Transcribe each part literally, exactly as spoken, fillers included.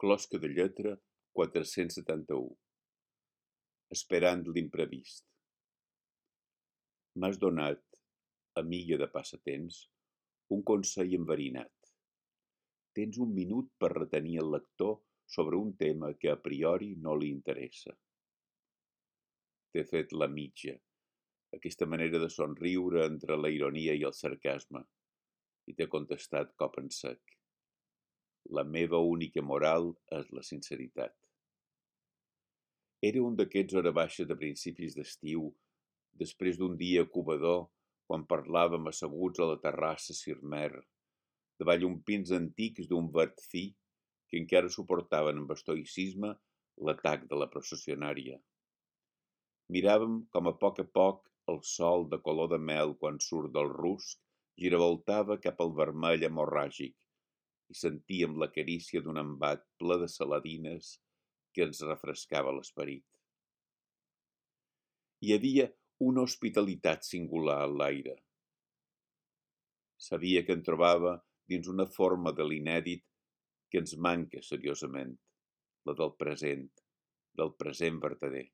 Closca de lletra quatre-cents setanta-u. Esperant l'imprevist. M'has donat, amiga de passatemps, un consell enverinat. Tens un minut per retenir el lector sobre un tema que a priori no li interessa. T'he fet la mitja, aquesta manera de somriure entre la ironia i el sarcasme, i t'he contestat cop en sec. La meva única moral és la sinceritat. Era un d'aquests hora baixa de principis d'estiu, després d'un dia covador, quan parlàvem asseguts a la terrassa Sirmer, davall uns pins antics d'un verd fi que encara suportaven amb estoïcisme l'atac de la processionària. Miràvem com a poc a poc el sol de color de mel quan surt del rusc giravoltava cap al vermell hemorràgic i sentíem la carícia d'un embat ple de saladines que ens refrescava l'esperit. Hi havia una hospitalitat singular a l'aire. Sabia que en trobava dins una forma de l'inèdit que ens manca seriosament, la del present, del present vertader.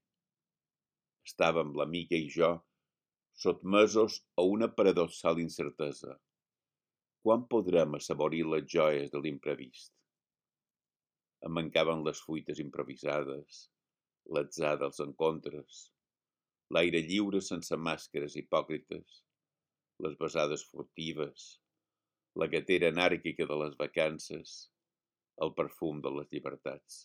Estàvem, l'amiga i jo, sotmesos a una paradoxal incertesa. Quan podrem assaborir les joies de l'imprevist? Em mancaven les fuites improvisades, l'atzar dels encontres, l'aire lliure sense màscares hipòcrites, les besades furtives, la gatera anàrquica de les vacances, el perfum de les llibertats.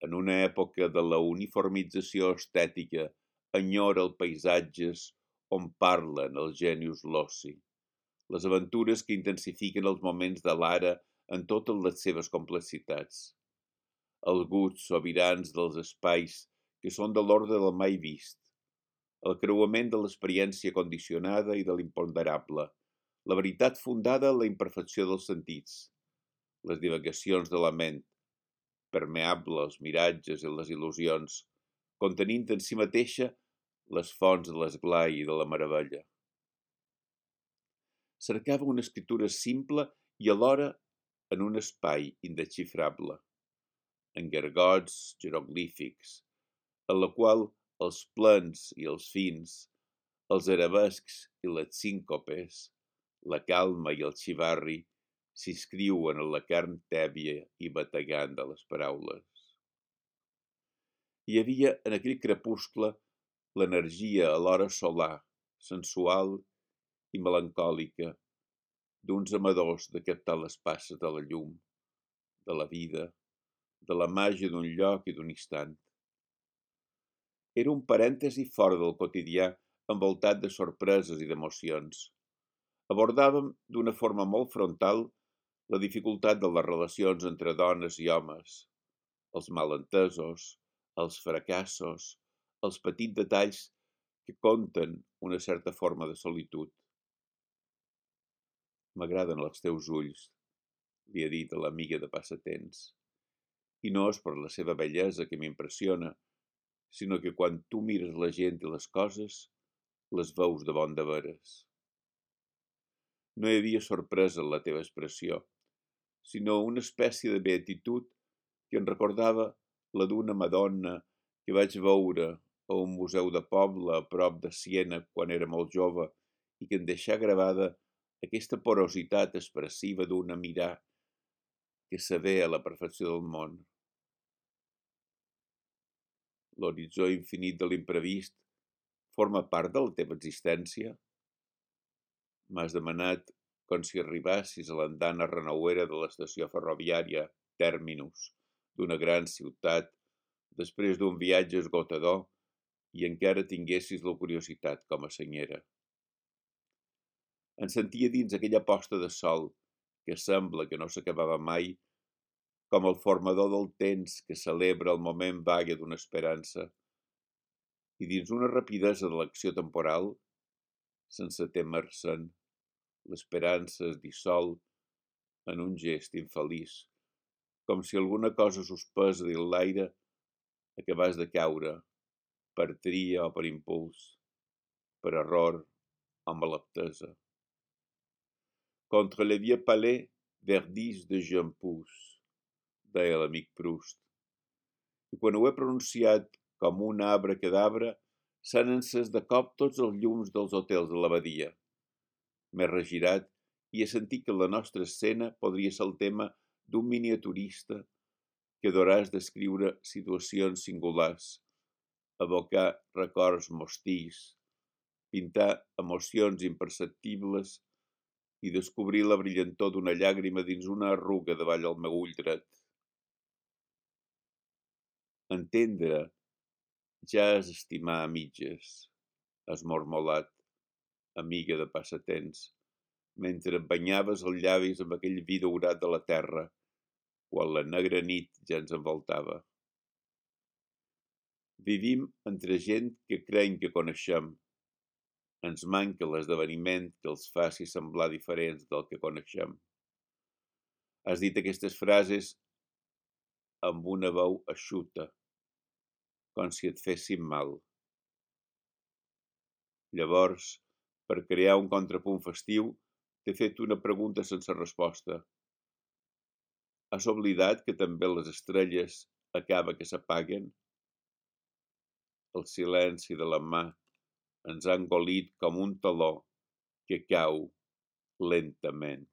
En una època de la uniformització estètica enyora els paisatges on parlen els genius l'oci, les aventures que intensifiquen els moments de l'ara en totes les seves complexitats, els gusts sobirans dels espais que són de l'ordre del mai vist, el creuament de l'experiència condicionada i de l'imponderable, la veritat fundada en la imperfecció dels sentits, les divagacions de la ment, permeable als miratges i les il·lusions, contenint en si mateixa les fonts de l'esglai i de la meravella. Cercava una escriptura simple i alhora en un espai indesxifrable, en gargots jeroglífics, en la qual els plens i els fins, els arabescs i les síncopes, la calma i el xivarri s'inscriuen en la carn tèbia i bategant de les paraules. Hi havia en aquell crepuscle l'energia alhora solar, sensual i melancòlica d'uns amadors de captar les passes de la llum, de la vida, de la màgia d'un lloc i d'un instant. Era un parèntesi fora del quotidià envoltat de sorpreses i d'emocions. Abordàvem d'una forma molt frontal la dificultat de les relacions entre dones i homes, els malentesos, els fracassos, els petits detalls que conten una certa forma de solitud. M'agraden els teus ulls, li ha dit a l'amiga de passatemps, i no és per la seva bellesa que m'impressiona, sinó que quan tu mires la gent i les coses, les veus de bon de veres. No hi havia sorpresa en la teva expressió, sinó una espècie de beatitud que em recordava la d'una Madonna que vaig veure a un museu de poble a prop de Siena quan era molt jove i que em deixà gravada aquesta porositat expressiva d'una mirar que s'avé a la perfecció del món. L'horitzó infinit de l'imprevist forma part de la teva existència? M'has demanat com si arribassis a l'andana renauera de l'estació ferroviària Terminus d'una gran ciutat després d'un viatge esgotador i encara tinguessis la curiositat com a senyera. Em sentia dins aquella posta de sol que sembla que no s'acabava mai, com el formador del temps que celebra el moment vague d'una esperança, i dins una rapidesa de l'acció temporal, sense témer-se'n, l'esperança es dissol en un gest infeliç, com si alguna cosa suspesa dins l'aire acabés de caure, per tria o per impuls, per error o malaptesa. Contre le vieux palais verdissent de jeunes pousses. deia l'amic Proust. I quan ho he pronunciat com un abracadabra, s'han encès de cop tots els llums dels hotels de l'abadia. M'he regirat i he sentit que la nostra escena podria ser el tema d'un miniaturista que adoràs descriure situacions singulars, evocar records mostís, pintar emocions imperceptibles i descobrir la brillantor d'una llàgrima dins una arruga davall el meu ull dret. Entendre ja és estimar a mitges, has mormolat, amiga de passatemps, mentre et banyaves els llavis amb aquell vi daurat de la terra, quan la negra nit ja ens envoltava. Vivim entre gent que creiem que coneixem. Ens manca l'esdeveniment que els faci semblar diferents del que coneixem. Has dit aquestes frases amb una veu eixuta, com si et fessin mal. Llavors, per crear un contrapunt festiu, t'he fet una pregunta sense resposta. Has oblidat que també les estrelles acaba que s'apaguen? El silenci de la mà ens ha engolit com un taló que cau lentament.